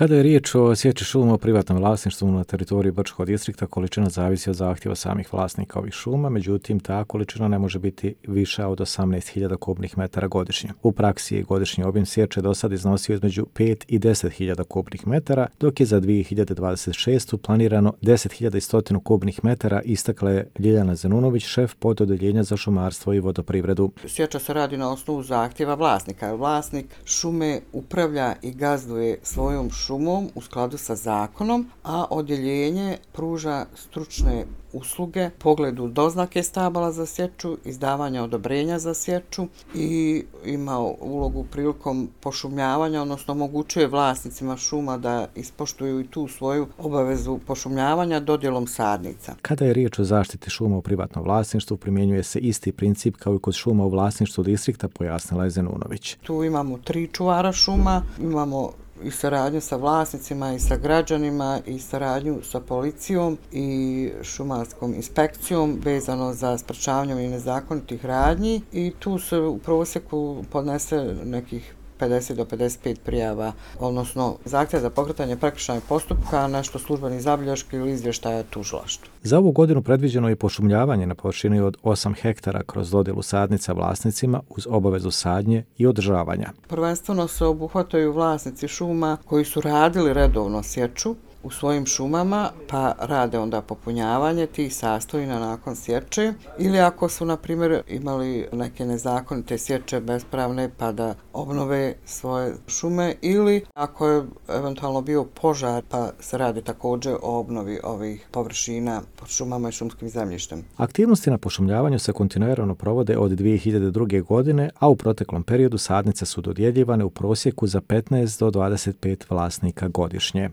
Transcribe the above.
Kada je riječ o sječi šuma u privatnom vlasništvu na teritoriju Brčkog distrikta, količina zavisi od zahtjeva samih vlasnika ovih šuma, međutim ta količina ne može biti viša od 18.000 kubnih metara godišnje. U praksi je godišnji obim sječe do sad iznosio između 5 i 10.000 kubnih metara, dok je za 2026. planirano 10.100 kubnih metara, istakla je Ljiljana Zenunović, šef pododeljenja za šumarstvo i vodoprivredu. Sječa se radi na osnovu zahtjeva vlasnika. Vlasnik šume upravlja i gazduje svojom šumom u skladu sa zakonom, a odjeljenje pruža stručne usluge, pogledu doznake stabala za sječu, izdavanja odobrenja za sječu i ima ulogu prilikom pošumljavanja, odnosno omogućuje vlasnicima šuma da ispoštuju i tu svoju obavezu pošumljavanja dodjelom sadnica. Kada je riječ o zaštiti šuma u privatnom vlasništvu, primjenjuje se isti princip kao i kod šuma u vlasništvu distrikta, pojasnila je Zenunović. Tu imamo 3 čuvara šuma, imamo i saradnju sa vlasnicima i sa građanima i saradnju sa policijom i šumarskom inspekcijom vezano za sprečavanje nezakonitih radnji i tu se u prosjeku podnese nekih 50 do 55 prijava, odnosno zahtjev za pokretanje prekršajnog postupka, nešto službeni zabilješki ili izvještaja tužilaštvu. Za ovu godinu predviđeno je pošumljavanje na površini od 8 hektara kroz dodjelu sadnica vlasnicima uz obavezu sadnje i održavanja. Prvenstveno se obuhvataju vlasnici šuma koji su radili redovno sječu u svojim šumama, pa rade onda popunjavanje tih sastojina nakon sječe, ili ako su, na primjer, imali neke nezakonite sječe bespravne, pa da obnove svoje šume, ili ako je eventualno bio požar, pa se radi također o obnovi ovih površina pod šumama i šumskim zemljištem. Aktivnosti na pošumljavanju se kontinuirano provode od 2002. godine, a u proteklom periodu sadnice su dodjeljivane u prosjeku za 15 do 25 vlasnika godišnje.